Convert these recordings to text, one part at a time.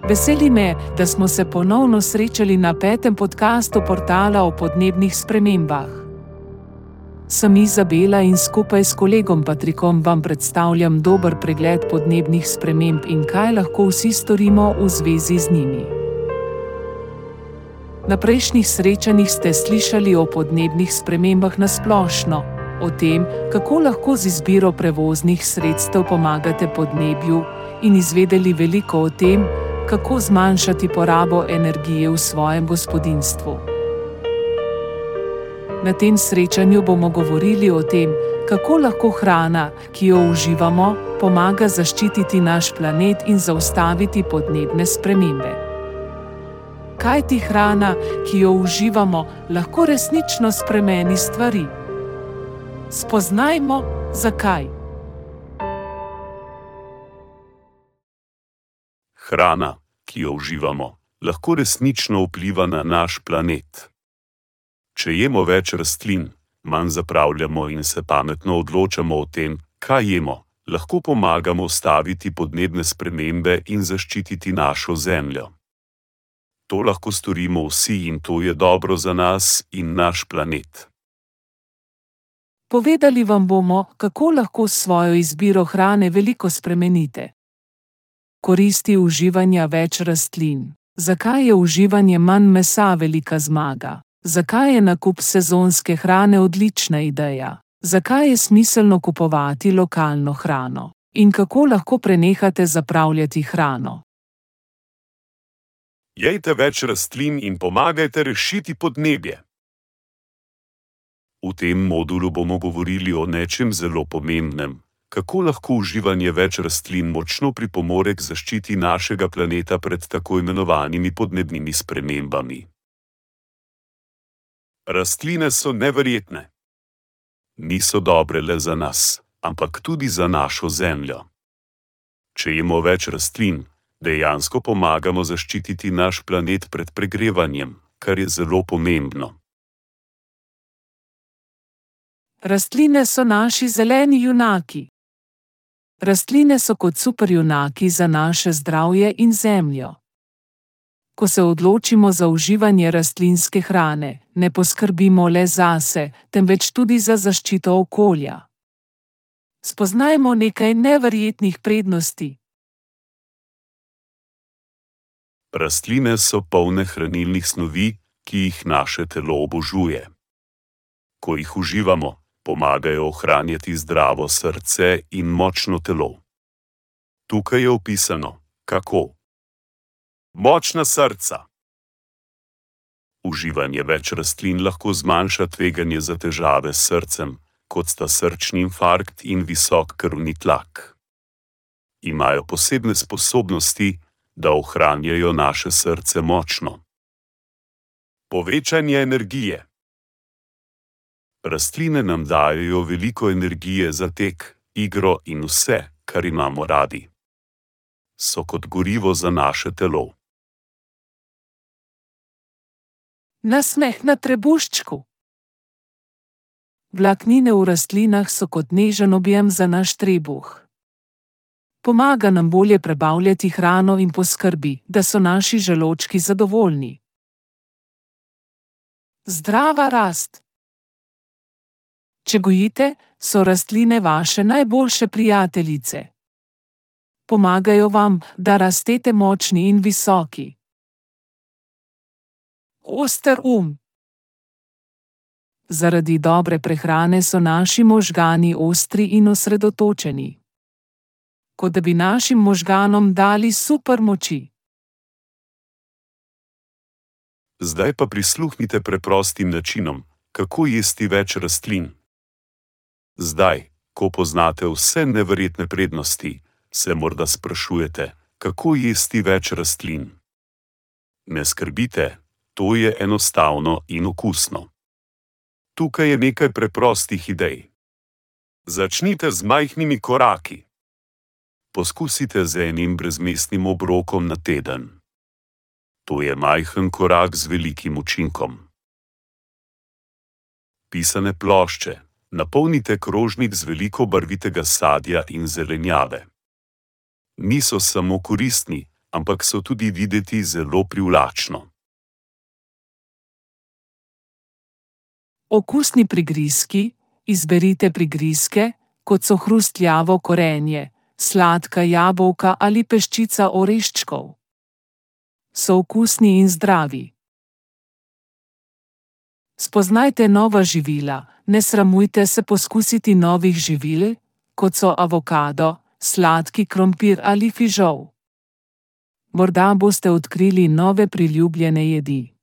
Veseli me, da smo se ponovno srečali na 5. podcastu portala o podnebnih spremembah. Sem Izabela in skupaj s kolegom Patrikom vam predstavljam dober pregled podnebnih sprememb in kaj lahko vsi storimo v zvezi z njimi. Na prejšnjih srečanjih ste slišali o podnebnih spremembah na splošno, o tem, kako lahko z izbiro prevoznih sredstev pomagate podnebju, in izvedeli veliko o tem, kako zmanjšati porabo energije v svojem gospodinjstvu. Na tem srečanju bomo govorili o tem, kako lahko hrana, ki jo uživamo, pomaga zaščititi naš planet in zaustaviti podnebne spremembe. Kaj ti hrana, ki jo uživamo, lahko resnično spremeni stvari? Spoznajmo, zakaj. Hrana, ki jo uživamo, lahko resnično vpliva na naš planet. Če jemo več rastlin, manj zapravljamo in se pametno odločamo o tem, kaj jemo, lahko pomagamo ustaviti podnebne spremembe in zaščititi našo zemljo. To lahko storimo vsi in to je dobro za nas in naš planet. Povedali vam bomo, kako lahko s svojo izbiro hrane veliko spremenite. Koristi uživanja več rastlin. Zakaj je uživanje manj mesa velika zmaga? Zakaj je nakup sezonske hrane odlična ideja? Zakaj je smiselno kupovati lokalno hrano? In kako lahko prenehate zapravljati hrano? Jejte več rastlin in pomagajte rešiti podnebje. V tem modulu bomo govorili o nečem zelo pomembnem, kako lahko uživanje več rastlin močno pripomore k zaščiti našega planeta pred tako imenovanimi podnebnimi spremembami. Rastline so neverjetne. Niso dobre le za nas, ampak tudi za našo zemljo. Če jemo več rastlin, dejansko pomagamo zaščititi naš planet pred pregrevanjem, kar je zelo pomembno. Rastline so naši zeleni junaki. Rastline so kot superjunaki za naše zdravje in zemljo. Ko se odločimo za uživanje rastlinske hrane, ne poskrbimo le zase, temveč tudi za zaščito okolja. Spoznajmo nekaj neverjetnih prednosti. Rastline so polne hranilnih snovi, ki jih naše telo obožuje. Ko jih uživamo, pomagajo ohranjati zdravo srce in močno telo. Tukaj je opisano, kako. Močna srca. Uživanje več rastlin lahko zmanjša tveganje za težave s srcem, kot sta srčni infarkt in visok krvni tlak. Imajo posebne sposobnosti, da ohranjajo naše srce močno. Povečanje energije. Rastline nam dajejo veliko energije za tek, igro in vse, kar imamo radi. So kot gorivo za naše telo. Nasmeh na trebuščku. Vlaknine v rastlinah so kot nežen objem za naš trebuh. Pomaga nam bolje prebavljati hrano in poskrbi, da so naši želodčki zadovoljni. Zdrava rast. Če gojite, so rastline vaše najboljše prijateljice. Pomagajo vam, da rastete močni in visoki. Oster Zaradi dobre prehrane so naši možgani ostri in osredotočeni. Kot da bi našim možganom dali super moči. Zdaj pa prisluhnite preprostim načinom, kako jesti več rastlin. Zdaj, ko poznate vse neverjetne prednosti, se morda sprašujete, kako jesti več rastlin. Ne skrbite, to je enostavno in okusno. Tukaj je nekaj preprostih idej. Začnite z majhnimi koraki. Poskusite z enim brezmesnim obrokom na teden. To je majhen korak z velikim učinkom. Pisane plošče. Napolnite krožnik z veliko barvitega sadja in zelenjave. Niso samo koristni, ampak so tudi videti zelo privlačno. Okusni prigrizki: izberite prigrizke, kot so hrustljavo korenje, sladka jabolka ali peščica oreščkov. So okusni in zdravi. Spoznajte nova živila, ne sramujte se poskusiti novih živil, kot so avokado, sladki krompir ali fižol. Morda boste odkrili nove priljubljene jedi.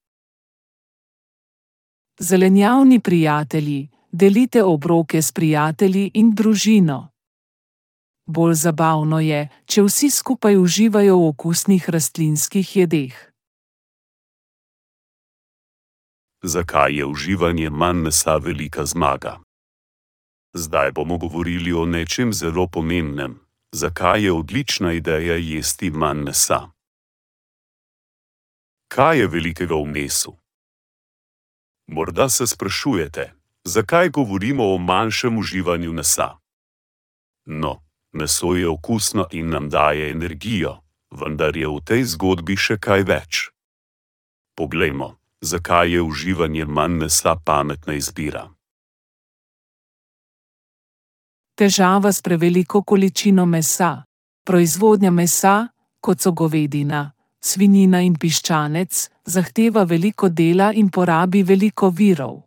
Zelenjavni prijatelji: delite obroke s prijatelji in družino. Bolj zabavno je, če vsi skupaj uživajo v okusnih rastlinskih jedeh. Zakaj je uživanje manj mesa velika zmaga? Zdaj bomo govorili o nečem zelo pomembnem. Zakaj je odlična ideja jesti manj mesa? Kaj je velikega v mesu? Morda se sprašujete, zakaj govorimo o manjšem uživanju mesa? No, meso je okusno in nam daje energijo, vendar je v tej zgodbi še kaj več. Poglejmo, zakaj je uživanje manj mesa pametna izbira. Težava s preveliko količino mesa: proizvodnja mesa, kot so govedina, svinjina in piščanec, zahteva veliko dela in porabi veliko virov.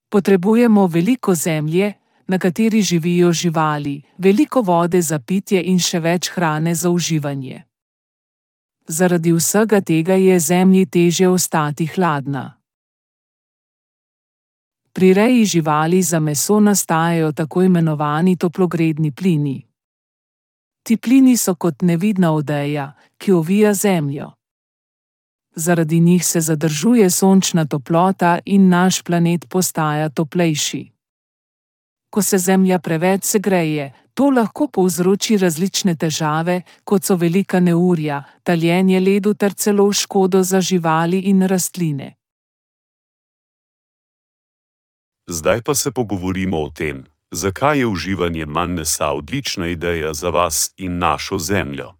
Potrebujemo veliko zemlje, na kateri živijo živali, veliko vode za pitje in še več hrane za uživanje. Zaradi vsega tega je zemlji težje ostati hladna. Pri reji živali za meso nastajajo tako imenovani toplogredni plini. Ti plini so kot nevidna odeja, ki ovija zemljo. Zaradi njih se zadržuje sončna toplota in naš planet postaja toplejši. Ko se zemlja preveč segreje, to lahko povzroči različne težave, kot so velika neurja, taljenje ledu ter celo škodo za živali in rastline. Zdaj pa se pogovorimo o tem, zakaj je uživanje manj mesa odlična ideja za vas in našo zemljo.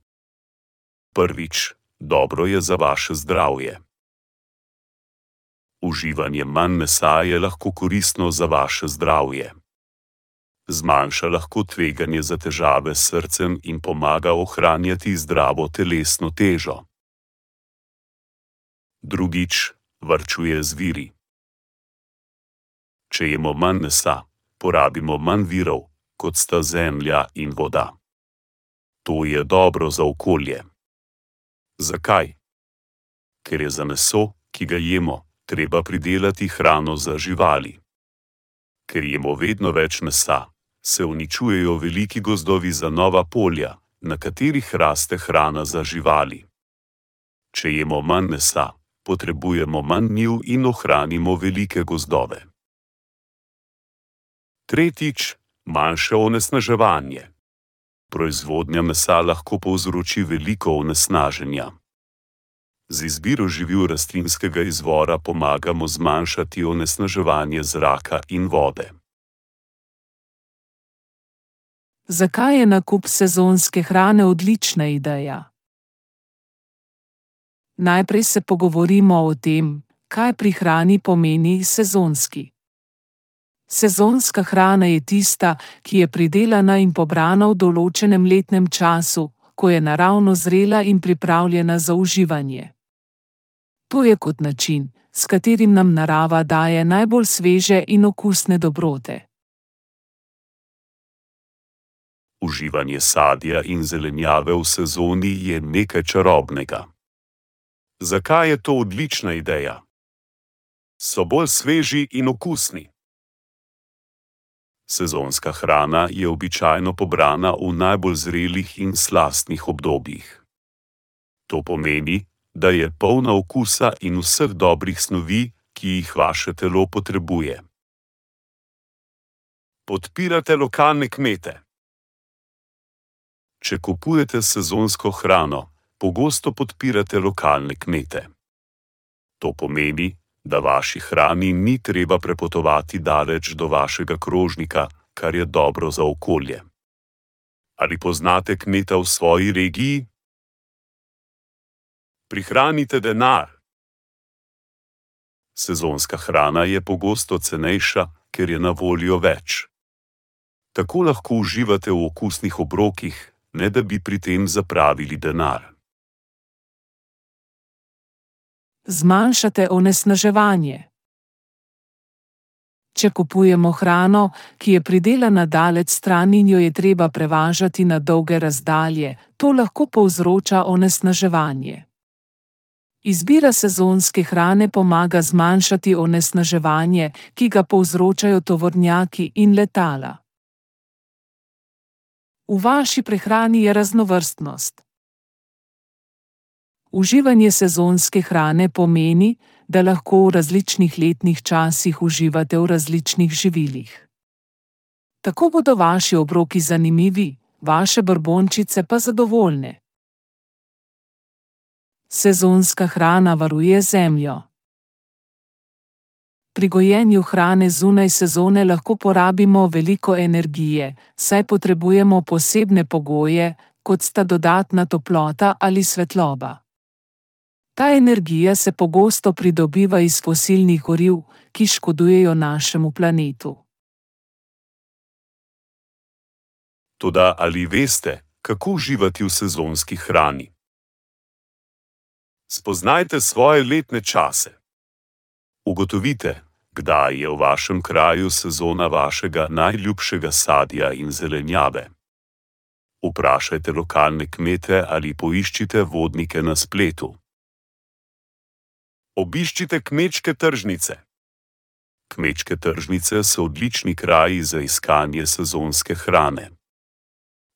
Prvič, dobro je za vaše zdravje. Uživanje manj mesa je lahko koristno za vaše zdravje. Zmanjša lahko tveganje za težave s srcem in pomaga ohranjati zdravo telesno težo. Drugič, varčuje z viri. Če jemo manj mesa, porabimo manj virov, kot sta zemlja in voda. To je dobro za okolje. Zakaj? Ker je za meso, ki ga jemo, treba pridelati hrano za živali. Ker jemo vedno več mesa, se uničujejo veliki gozdovi za nova polja, na katerih raste hrana za živali. Če jemo manj mesa, potrebujemo manj njiv in ohranimo velike gozdove. Tretjič, manjše onesnaževanje. Proizvodnja mesa lahko povzroči veliko onesnaženja. Z izbiro živil rastlinskega izvora pomagamo zmanjšati onesnaževanje zraka in vode. Zakaj je nakup sezonske hrane odlična ideja? Najprej se pogovorimo o tem, kaj pri hrani pomeni sezonski. Sezonska hrana je tista, ki je pridelana in pobrana v določenem letnem času, ko je naravno zrela in pripravljena za uživanje. To je kot način, s katerim nam narava daje najbolj sveže in okusne dobrote. Uživanje sadja in zelenjave v sezoni je nekaj čarobnega. Zakaj je to odlična ideja? So bolj sveži in okusni. Sezonska hrana je običajno pobrana v najbolj zrelih in slastnih obdobjih. To pomeni, da je polna okusa in vseh dobrih snovi, ki jih vaše telo potrebuje. Podpirate lokalne kmete. Če kupujete sezonsko hrano, pogosto podpirate lokalne kmete. To pomeni, da vaši hrani ni treba prepotovati daleč do vašega krožnika, kar je dobro za okolje. Ali poznate kmeta v svoji regiji? Prihranite denar. Sezonska hrana je pogosto cenejša, ker je na voljo več. Tako lahko uživate v okusnih obrokih, ne da bi pri tem zapravili denar. Zmanjšate onesnaževanje. Če kupujemo hrano, ki je pridelana daleč stran in jo je treba prevažati na dolge razdalje, to lahko povzroča onesnaževanje. Izbira sezonske hrane pomaga zmanjšati onesnaževanje, ki ga povzročajo tovornjaki in letala. V vaši prehrani je raznovrstnost. Uživanje sezonske hrane pomeni, da lahko v različnih letnih časih uživate v različnih živilih. Tako bodo vaši obroki zanimivi, vaše brbončice pa zadovoljne. Sezonska hrana varuje zemljo. Pri gojenju hrane zunaj sezone lahko porabimo veliko energije, saj potrebujemo posebne pogoje, kot sta dodatna toplota ali svetloba. Ta energija se pogosto pridobiva iz fosilnih goriv, ki škodujejo našemu planetu. Toda ali veste, kako uživati v sezonski hrani? Spoznajte svoje letne čase. Ugotovite, kdaj je v vašem kraju sezona vašega najljubšega sadja in zelenjave. Vprašajte lokalne kmete ali poiščite vodnike na spletu. Obiščite kmečke tržnice. Kmečke tržnice so odlični kraji za iskanje sezonske hrane.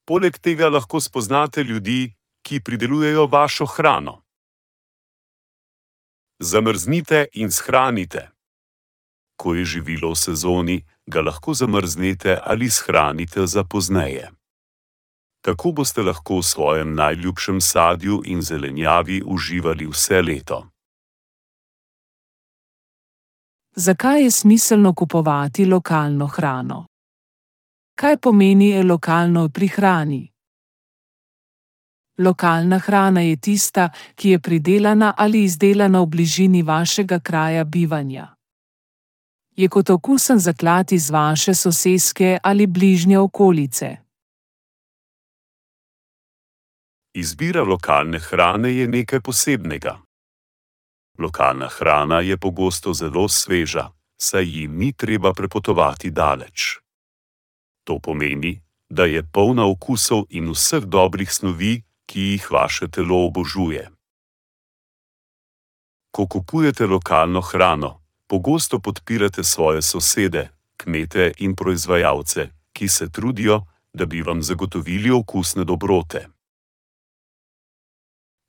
Poleg tega lahko spoznate ljudi, ki pridelujejo vašo hrano. Zamrznite in shranite. Ko je živilo v sezoni, ga lahko zamrznete ali shranite za pozneje. Tako boste lahko v svojem najljubšem sadju in zelenjavi uživali vse leto. Zakaj je smiselno kupovati lokalno hrano? Kaj pomeni lokalno pri hrani? Lokalna hrana je tista, ki je pridelana ali izdelana v bližini vašega kraja bivanja. Je kot okusen zaklad iz vaše soseske ali bližnje okolice. Izbira lokalne hrane je nekaj posebnega. Lokalna hrana je pogosto zelo sveža, saj ji ni treba prepotovati daleč. To pomeni, da je polna okusov in vseh dobrih snovi, ki jih vaše telo obožuje. Ko kupujete lokalno hrano, pogosto podpirate svoje sosede, kmete in proizvajalce, ki se trudijo, da bi vam zagotovili okusne dobrote.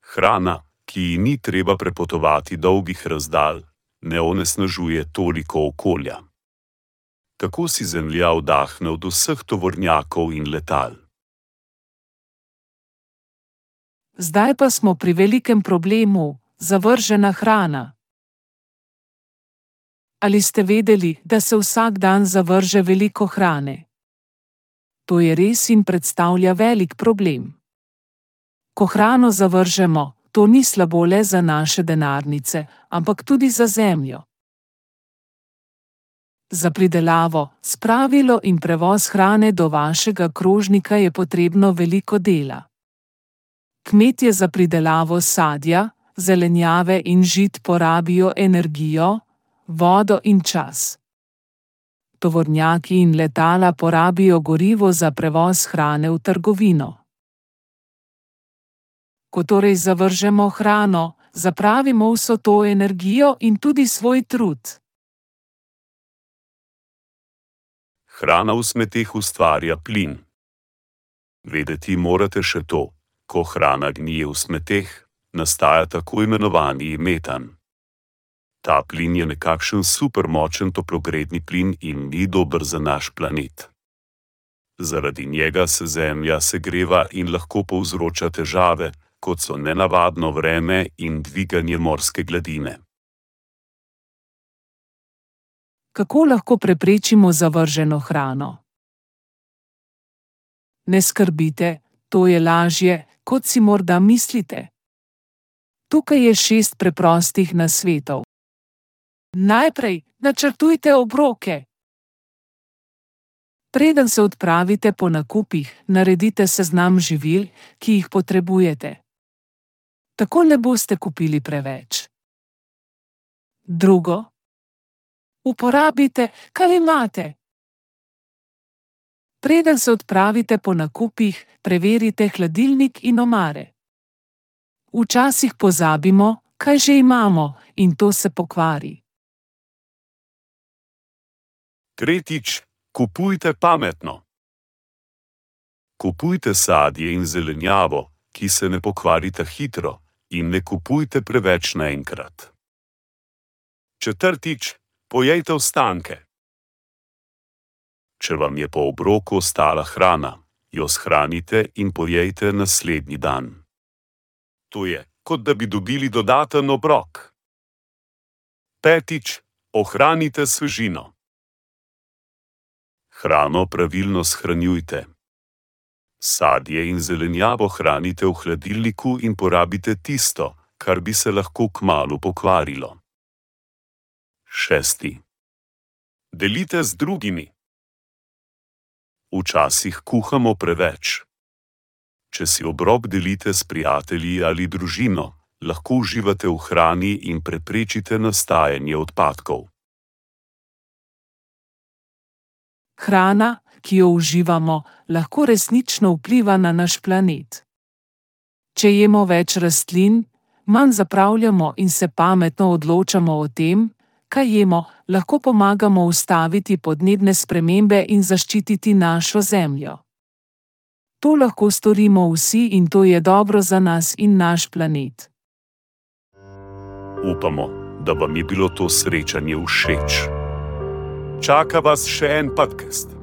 Hrana, ki ji ni treba prepotovati dolgih razdalj, ne onesnažuje toliko okolja. Tako si zemlja vdahne od vseh tovornjakov in letal. Zdaj pa smo pri velikem problemu, zavržena hrana. Ali ste vedeli, da se vsak dan zavrže veliko hrane? To je res in predstavlja velik problem. Ko hrano zavržemo, to ni slabo le za naše denarnice, ampak tudi za zemljo. Za pridelavo, spravilo in prevoz hrane do vašega krožnika je potrebno veliko dela. Kmetje za pridelavo sadja, zelenjave in žit porabijo energijo, vodo in čas. Tovornjaki in letala porabijo gorivo za prevoz hrane v trgovino. Ko torej zavržemo hrano, zapravimo vso to energijo in tudi svoj trud. Hrana v smeteh ustvarja plin. Vedeti morate še to, ko hrana gnije v smeteh, nastaja tako imenovani metan. Ta plin je nekakšen supermočen toplogredni plin in ni dober za naš planet. Zaradi njega se Zemlja segreva in lahko povzroča težave, kot so nenavadno vreme in dviganje morske gladine. Kako lahko preprečimo zavrženo hrano? Ne skrbite, to je lažje, kot si morda mislite. Tukaj je 6 preprostih nasvetov. Najprej, načrtujte obroke. Preden se odpravite po nakupih, naredite seznam živil, ki jih potrebujete. Tako ne boste kupili preveč. Drugo, uporabite, kar imate. Preden se odpravite po nakupih, preverite hladilnik in omare. Včasih pozabimo, kaj že imamo, in to se pokvari. Tretjič, kupujte pametno. Kupujte sadje in zelenjavo, ki se ne pokvarita hitro, in ne kupujte preveč naenkrat. Četrtič, pojejte ostanke. Če vam je po obroku ostala hrana, jo shranite in pojejte naslednji dan. To je, kot da bi dobili dodaten obrok. Petič, ohranite svežino. Hrano pravilno shranjujte. Sadje in zelenjavo hranite v hladilniku in porabite tisto, kar bi se lahko kmalu pokvarilo. Šesti. Delite z drugimi. Včasih kuhamo preveč. Če si obrok delite s prijatelji ali družino, lahko uživate v hrani in preprečite nastajanje odpadkov. Hrana, ki jo uživamo, lahko resnično vpliva na naš planet. Če jemo več rastlin, manj zapravljamo in se pametno odločamo o tem, kaj jemo, lahko pomagamo ustaviti podnebne spremembe in zaščititi našo zemljo. To lahko storimo vsi in to je dobro za nas in naš planet. Upamo, da vam je bilo to srečanje všeč. Čaka vas še en podcast.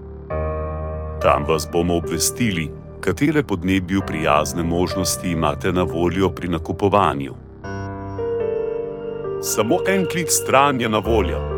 Tam vas bomo obvestili, katere podnebju prijazne možnosti imate na voljo pri nakupovanju. Samo en klik stran je na voljo.